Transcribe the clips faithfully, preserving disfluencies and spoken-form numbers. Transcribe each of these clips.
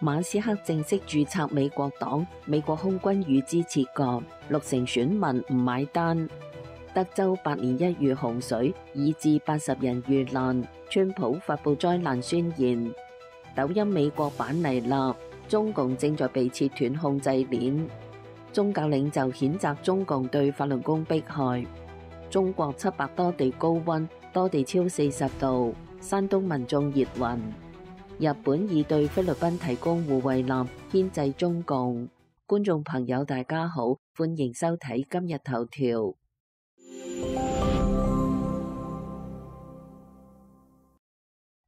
馬斯克正式註冊美國黨，美國空軍與之切割，六成選民唔買單。德州百年一遇洪水，以致八十人遇難，川普發布災難宣言。抖音美國版嚟啦，中共正在被切斷控制鏈。宗教領袖譴責中共對法輪功迫害。中國七百多地高溫，多地超四十度，山東民眾熱暈。日本已對菲律賓提供護衛艦，牽制中共。觀眾朋友大家好，歡迎收睇今日頭條。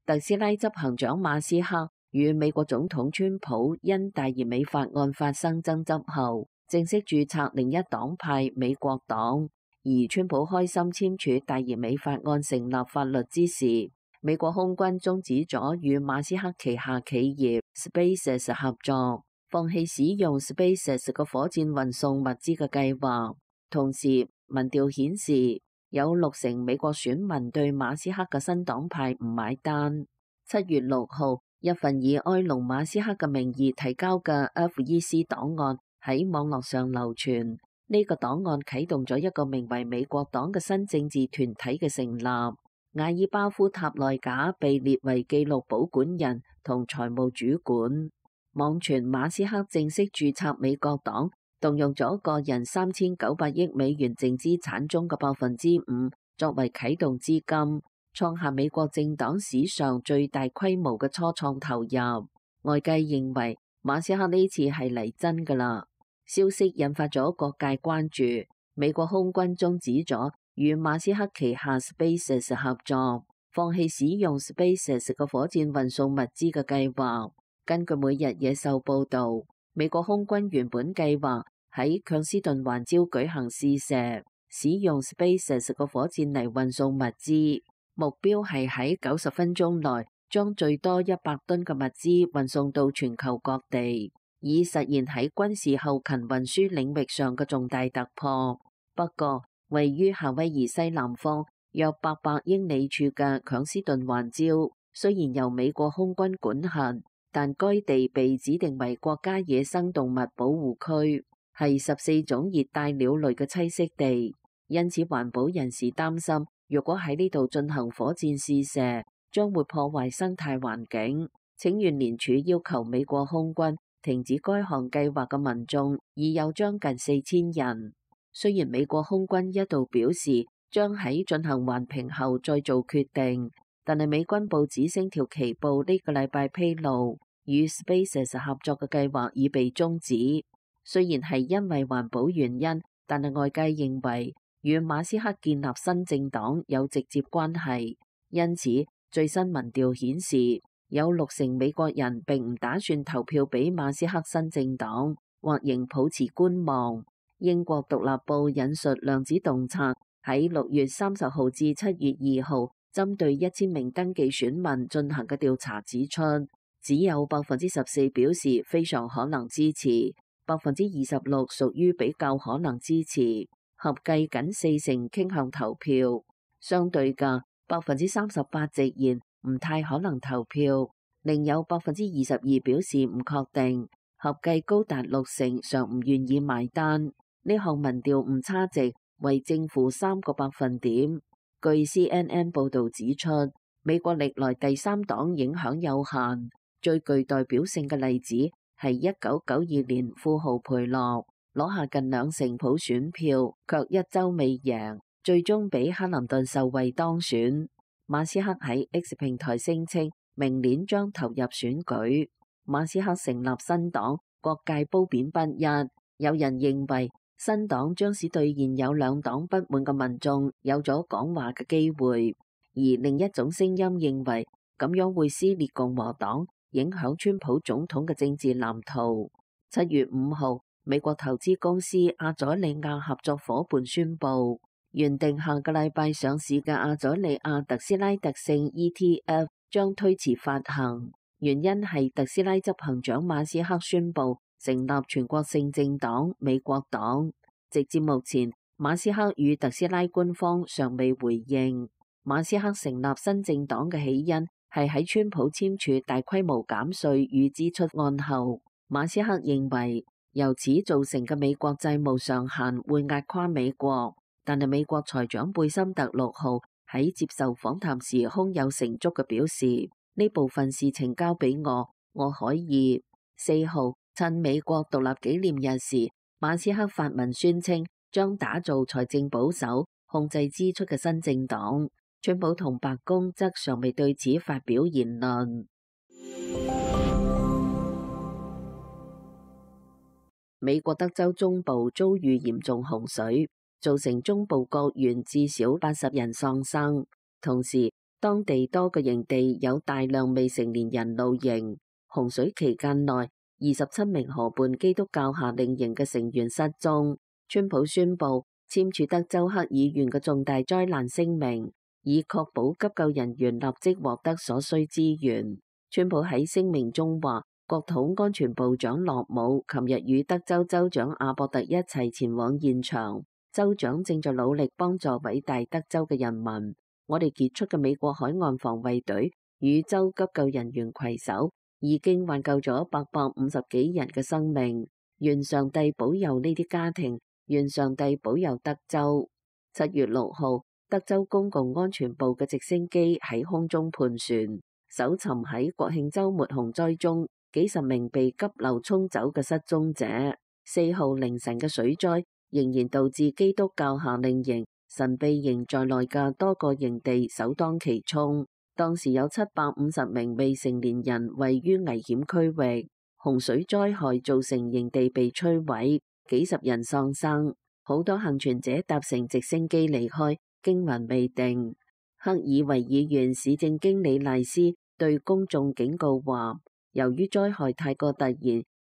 特斯拉執行長馬斯克與美國總統川普因大移美法案發生爭執後，正式註冊另一黨派美國黨。而川普開心簽署大移美法案成立法律之時，美國空軍終止咗與馬斯克旗下企業 SpaceX 合作，放棄使用 SpaceX 嘅火箭運送物資嘅計劃。同時，民調顯示有六成美國選民對馬斯克嘅新黨派唔買單。七月六號，一份以埃隆馬斯克嘅名義提交嘅 F E C 檔案喺網絡上流傳。呢、這個檔案啟動咗一個名為美國黨嘅新政治團體嘅成立。瓦爾巴夫塔內賈被列為紀錄保管人同財務主管。網傳馬斯克正式註冊美國黨，動用咗個人三千九百億美元淨資產中嘅百分之五作為啟動資金，創下美國政黨史上最大規模嘅初創投入。外界認為馬斯克呢次係嚟真㗎喇。消息引發咗各界關注，美國空軍終止咗與馬斯克旗下 SpaceX 合作，放棄使用 SpaceX 嘅火箭運送物資嘅計劃。根據每日野獸報導，美國空軍原本計劃喺強斯頓環礁舉行試射，使用 SpaceX 嘅火箭嚟運送物資，目標係喺九十分鐘內將最多一百噸嘅物資運送到全球各地，以實現喺軍事後勤運輸領域上嘅重大突破。不過，位於夏威夷西南方約八百英里處嘅強斯頓環礁，雖然由美國空軍管轄，但該地被指定為國家野生動物保護區，係十四種熱帶鳥類嘅棲息地。因此，環保人士擔心，若果喺呢度進行火箭試射，將會破壞生態環境。請願聯署要求美國空軍停止該項計劃嘅民眾已有將近四千人。雖然美國空軍一度表示將喺進行環評後再做決定，但係美軍報紙星條旗報呢個禮拜披露，與 SpaceX 合作嘅計劃已被終止。雖然係因為環保原因，但係外界認為與馬斯克建立新政黨有直接關係。因此，最新民調顯示，有六成美國人並唔打算投票俾馬斯克新政黨，或仍抱持觀望。英國獨立報引述量子洞察喺六月三十號至七月二號針對一千名登記選民進行嘅調查指出，只有百分之十四表示非常可能支持，百分之二十六屬於比較可能支持，合計僅四成傾向投票。相對嘅百分之三十八直言唔太可能投票，另有百分之二十二表示唔確定，合計高達六成尚唔願意埋單。呢項民調誤差值為正負三個百分點。據 C N N 報導指出，美國歷來第三黨影響有限，最具代表性嘅例子係一九九二年富豪培洛攞下近兩成普選票，卻一州未贏，最終俾克林頓受惠當選。馬斯克喺 X 平台聲稱明年將投入選舉。馬斯克成立新黨，各界褒貶不一，有人認為新黨將使對現有兩黨不滿嘅民眾有咗講話嘅機會，而另一種聲音認為咁樣會撕裂共和黨，影響川普總統嘅政治藍圖。七月五號，美國投資公司阿佐利亞合作夥伴宣布，原定下個禮拜上市嘅阿佐利亞特斯拉特性 E T F 將推遲發行，原因係特斯拉執行長馬斯克宣布成立全國性政黨美國黨。直至目前，馬斯克與特斯拉官方尚未回應。馬斯克成立新政黨嘅起因係喺川普簽署大規模減稅與支出案後。馬斯克認為由此造成嘅美國債務上限會壓垮美國，但係美國財長貝森特六號喺接受訪談時胸有成竹嘅表示，呢部分事情交俾我，我可以。四號趁美國獨立紀念日時，馬斯克發文宣稱將打造財政保守、控制支出嘅新政黨。川普同白宮則尚未對此發表言論。美國德州中部遭遇嚴重洪水，造成中部各縣至少八十人喪生。同時，當地多個營地有大量未成年人露營。洪水期間內，二十七名河畔基督教夏令營嘅成員失蹤。川普宣布簽署德州克爾縣嘅重大災難聲明，以確保急救人員立即獲得所需資源。川普喺聲明中話，國土安全部長洛姆琴日與德州州長阿博特一齊前往現場，州長正在努力幫助偉大德州嘅人民。我哋傑出嘅美國海岸防衛隊與州急救人員攜手，已經挽救咗八百五十幾人嘅生命。願上帝保佑呢啲家庭，願上帝保佑德州。七月六號，德州公共安全部嘅直升機喺空中盤旋，搜尋喺國慶週末洪災中幾十名被急流沖走嘅失蹤者。四號凌晨嘅水災仍然導致基督教夏令營、神秘營在內嘅多個營地首當其衝。當時有七百五十名未成年人位於危險區域。洪水災害造成營地被摧毀，幾十人喪生，好多幸存者搭乘直升機離開，驚魂未定。克爾維爾縣市政經理賴斯對公眾警告話，由於災害太過突然，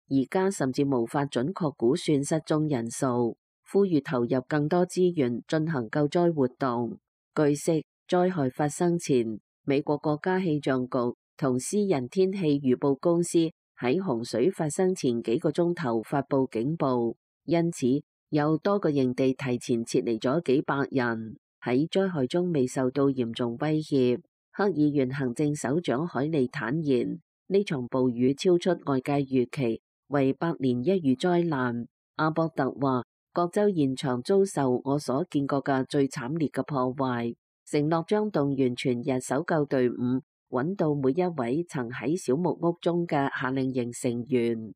而家甚至無法準確估算失蹤人數，呼籲投入更多資源進行救災活動。據悉，災害發生前，美國國家氣象局同私人天氣預報公司喺洪水發生前幾個鐘頭發佈警報，因此有多個營地提前撤離咗幾百人，喺災害中未受到嚴重威脅。克爾縣行政首長海利坦言，呢場暴雨超出外界預期，為百年一遇災難。阿博特話，各州現場遭受我所見過嘅最慘烈嘅破壞，承諾將動員全日搜救隊伍，揾到每一位曾喺小木屋中嘅夏令營成員。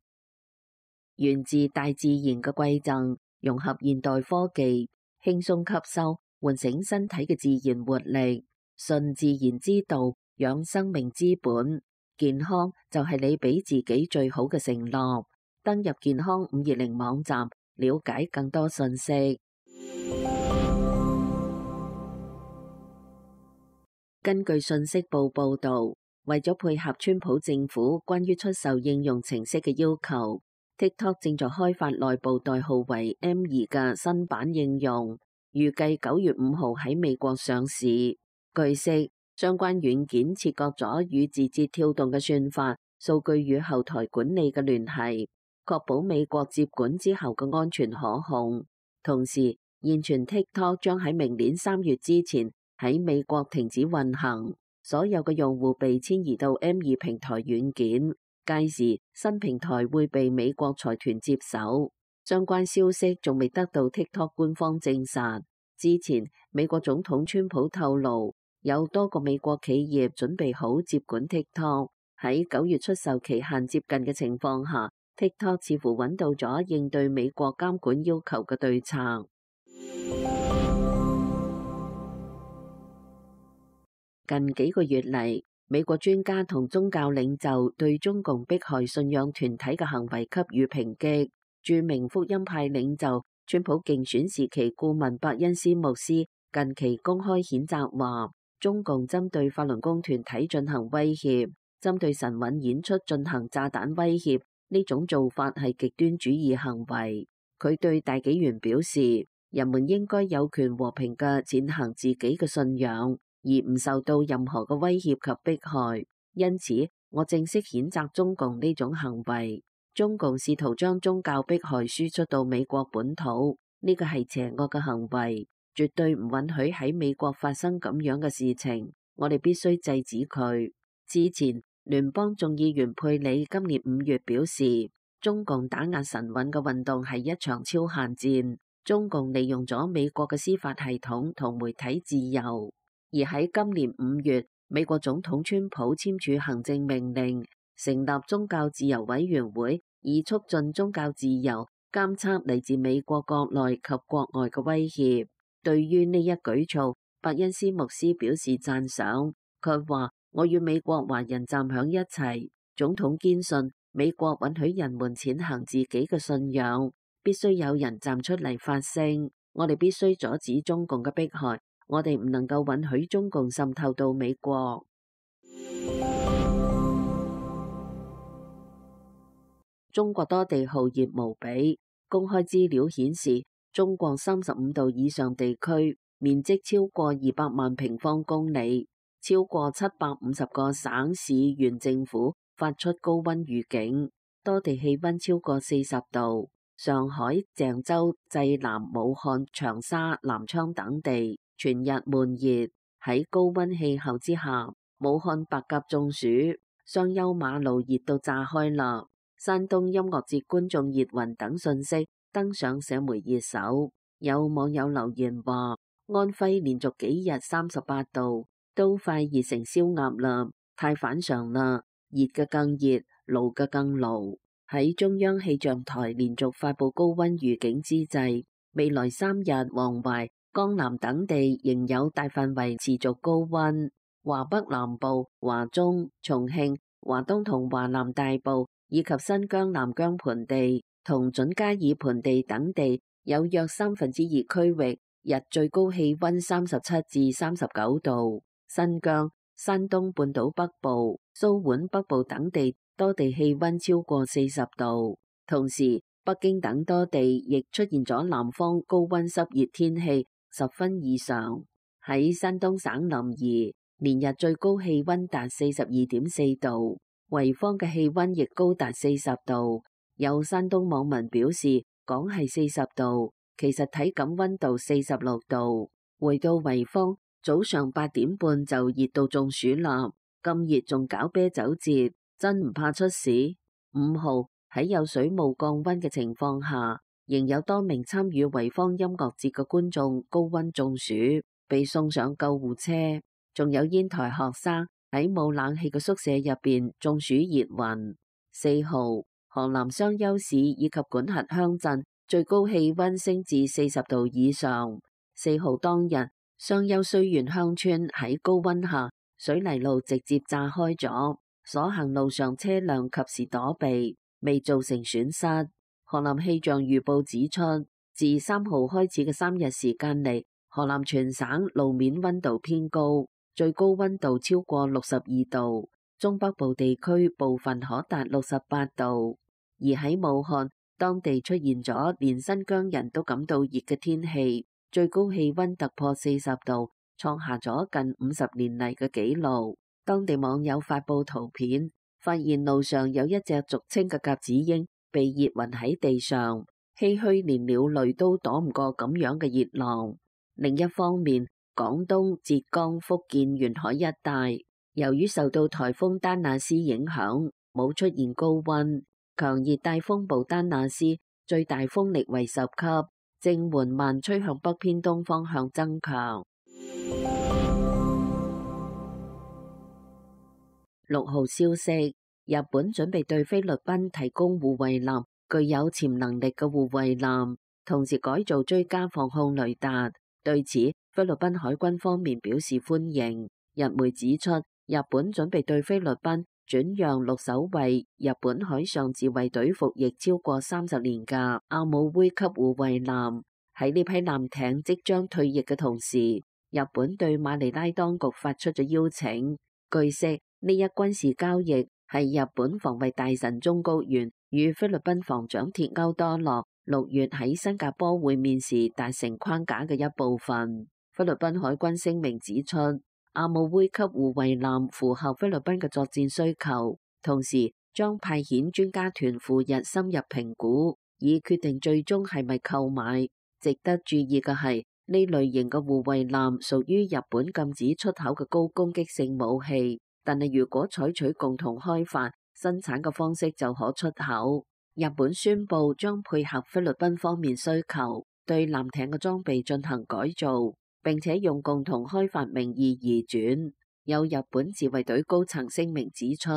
源自大自然嘅饋贈，融合現代科技，輕鬆吸收，喚醒身體嘅自然活力。順自然之道，養生命之本。健康就係你俾自己最好嘅承諾。登入健康五二零網站，了解更多信息。根據信息報報導，為咗配合川普政府關於出售應用程式嘅要求，TikTok 正在開發內部代號為 M 二嘅新版應用，預計九月五號喺美國上市。據悉，相關軟件切割咗與字節跳動嘅算法、數據與後台管理嘅聯繫，確保美國接管之後嘅安全可控。同時，現傳 TikTok 將喺明年三月之前喺美國停止運行，所有嘅用戶被遷移到 M 二平台軟件。屆時，新平台會被美國財團接手。相關消息仲未得到 TikTok 官方證實。之前，美國總統川普透露，有多個美國企業準備好接管 TikTok。喺九月出售期限接近嘅情況下，TikTok 似乎揾到咗應對美國監管要求嘅對策。近幾個月嚟，美國專家同宗教領袖對中共迫害信仰團體嘅行為給予抨擊。著名福音派領袖川普競選時期顧問伯恩斯牧師近期公開譴責話，中共針對法輪功團體進行威脅，針對神韻演出進行炸彈威脅，呢種做法係極端主義行為。佢對大紀元表示，人們應該有權和平嘅踐行自己嘅信仰，而唔受到任何嘅威脅及迫害。因此，我正式譴責中共呢種行為。中共試圖將宗教迫害輸出到美國本土，呢個係邪惡嘅行為，絕對唔允許喺美國發生咁樣嘅事情。我哋必須制止佢。之前，聯邦眾議員佩里今年五月表示，中共打壓神韻嘅運動係一場超限戰，中共利用咗美國嘅司法系統同媒體自由。而喺今年五月，美國總統川普簽署行政命令，成立宗教自由委員會，以促進宗教自由，監測嚟自美國國內及國外嘅威脅。對於呢一舉措，伯恩斯牧師表示讚賞。佢話：我與美國華人站響一齊。總統堅信美國允許人們踐行自己嘅信仰，必須有人站出嚟發聲。我哋必須阻止中共嘅迫害，我哋唔能夠允許中共滲透到美國。中國多地酷熱無比，公開資料顯示，中國三十五度以上地區面積超過二百萬平方公里，超過七百五十個省市縣政府發出高溫預警，多地氣溫超過四十度。上海、鄭州、濟南、武漢、長沙、南昌等地全日悶熱。喺高溫氣候之下，武漢白鴿中暑，雙休馬路熱到炸開啦。山東音樂節觀眾熱暈等信息登上社媒熱搜。有網友留言話：安徽連續幾日三十八度，都快熱成燒鴨啦，太反常啦，熱嘅更熱，爐嘅更爐。喺中央氣象台連續發布高溫預警之際，未來三日黃淮、江南等地仍有大範圍持續高溫。華北南部、華中、重慶、華東同華南大部以及新疆南疆盆地同準噶爾盆地等地有約三分之二區域日最高氣溫三十七至三十九度。新疆、山東半島北部、蘇皖北部等地多地氣溫超過四十度。同時，北京等多地亦出現咗南方高溫濕熱天氣，十分異常。喺山東省臨沂，連日最高氣溫達四十二點四度。濰坊嘅氣溫亦高達四十度，有山東網民表示講係四十度，其實體感溫度四十六度。回到濰坊，早上八點半就熱到中暑啦，咁熱仲搞啤酒節，真唔怕出事？五號喺有水霧降溫嘅情況下，仍有多名參與濰坊音樂節嘅觀眾高溫中暑，被送上救護車，仲有煙台學生喺冇冷氣嘅宿舍入邊中暑熱暈。四號，河南商丘市以及管轄鄉鎮最高氣溫升至四十度以上。四號當日，商丘綏縣鄉村喺高溫下，水泥路直接炸開咗，所行路上車輛及時躲避，未造成損失。河南氣象預報指出，自三號開始嘅三日時間嚟，河南全省路面溫度偏高。最高溫度超過六十二度，中北部地區部分可達六十八度。而喺武漢，當地出現咗連新疆人都感到熱嘅天氣，最高氣溫突破四十度，創下咗近五十年嚟嘅紀錄。當地網友發布圖片，發現路上有一隻俗稱嘅鴿子鷹被熱暈喺地上，唏噓連鳥類都躲唔過咁樣嘅熱浪。另一方面，廣東、浙江、福建沿海一帶，由於受到颱風丹娜斯影響，冇出現高溫。強熱帶風暴丹娜斯最大風力為十級，正緩慢吹向北偏東方向增強。六號消息，日本準備對菲律賓提供護衛艦，具有潛能力嘅護衛艦，同時改造追加防控雷達。對此，菲律賓海軍方面表示歡迎。日媒指出，日本準備對菲律賓轉讓六艘為日本海上自衛隊服役超過三十年嘅阿姆威級護衛艦。喺呢批艦艇即將退役嘅同時，日本對馬尼拉當局發出咗邀請。據悉，呢一軍事交易係日本防衛大臣中谷元與菲律賓防長鐵勾多洛六月喺新加坡會面時達成框架嘅一部分。菲律賓海軍聲明指出，阿姆威級護衛艦符合菲律賓嘅作戰需求，同時將派遣專家團赴日深入評估，以決定最終係咪購買。值得注意嘅係，呢類型嘅護衛艦屬於日本禁止出口嘅高攻擊性武器，但係如果採取共同開發生產嘅方式就可出口。日本宣布將配合菲律賓方面需求，對艦艇嘅裝備進行改造，並且用共同開發名義移轉。有日本自衛隊高層聲明指出，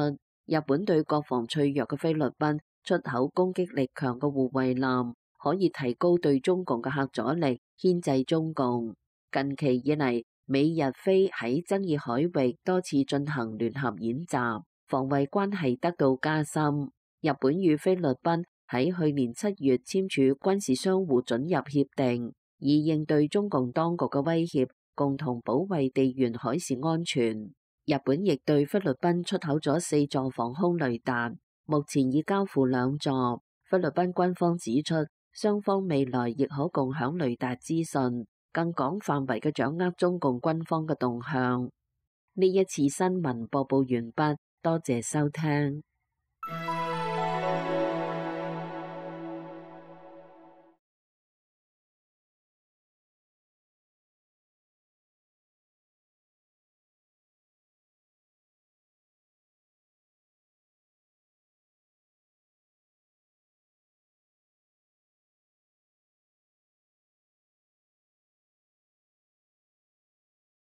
日本對國防脆弱嘅菲律賓出口攻擊力強嘅護衛艦，可以提高對中共嘅嚇阻力，牽制中共。近期以嚟，美日菲喺爭議海域多次進行聯合演習，防衛關係得到加深。日本與菲律賓喺去年七月簽署軍事相互准入協定，以應對中共當局嘅威脅，共同保衛地緣海事安全。日本亦對菲律賓出口咗四座防空雷達，目前已交付兩座。菲律賓軍方指出，雙方未來亦可共享雷達資訊，更廣範圍嘅掌握中共軍方嘅動向。呢一次新聞播報完畢，多謝收聽。